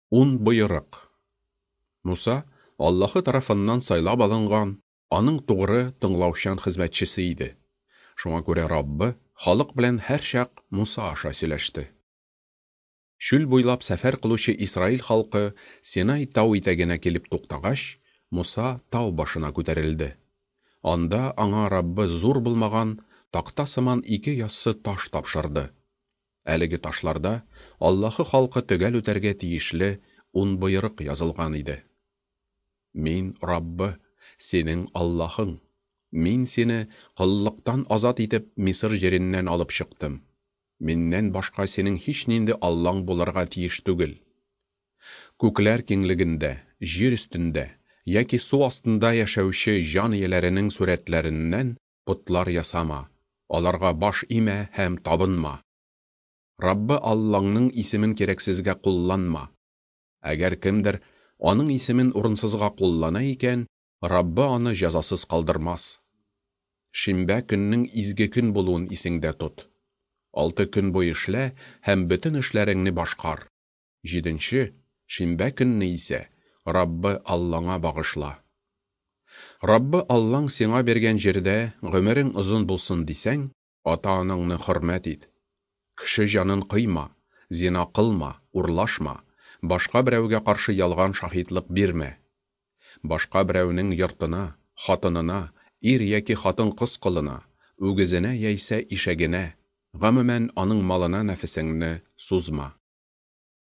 Ун боерык. Муса Аллаһы тарафыннан сайлап алынган, аның тугры, тыңлаучан хезмәтчесе иде. Шуңа күрә Раббы халык белән һәрчак Муса аша сөйләште. Чүл буйлап сәфәр кылучы Исраил халкы Синай тау итәгенә килеп туктагач, Муса тау башына күтәрелде. Анда аңа Раббы зур булмаган, такта сыман ике яссы таш тапшырды. Әлеге ташларда Аллаһы халкы төгәл үтәргә тиешле ун боерык язылган иде. Мин, Раббы, синең Аллаһың. Мин сине, коллыктан азат итеп, Мисыр җиреннән алып чыктым. Миннән башка синең һичнинди Аллаң булырга тиеш түгел. Күкләр киңлегендә, җир өстендә яки су астында яшәүче җан ияләренең сурәтләреннән потлар ясама, аларга баш имә һәм табынма. Раббы Аллаңның исемен кирәксезгә кулланма. Әгәр кемдер аның исемен урынсызга куллана икән, Раббы аны җәзасыз калдырмас. Шимбә көннең изге көн булуын исеңдә тот. Алты көн буе эшлә һәм бөтен эшләреңне башкар. Җиденче, шимбә көнне исә Раббы Аллаңа багышла. Раббы Аллаң сиңа биргән җирдә гомерең озын булсын дисәң, Ата-анаңны хөрмәт ит. Кеше җанын кыйма, зина кылма, урлашма, башка берәүгә каршы ялган шаһитлык бирмә. Башка берәүнең йортына, хатынына, ир яки хатын-кыз колына, үгезенә яисә ишәгенә, гомумән, аның малына нәфесеңне сузма.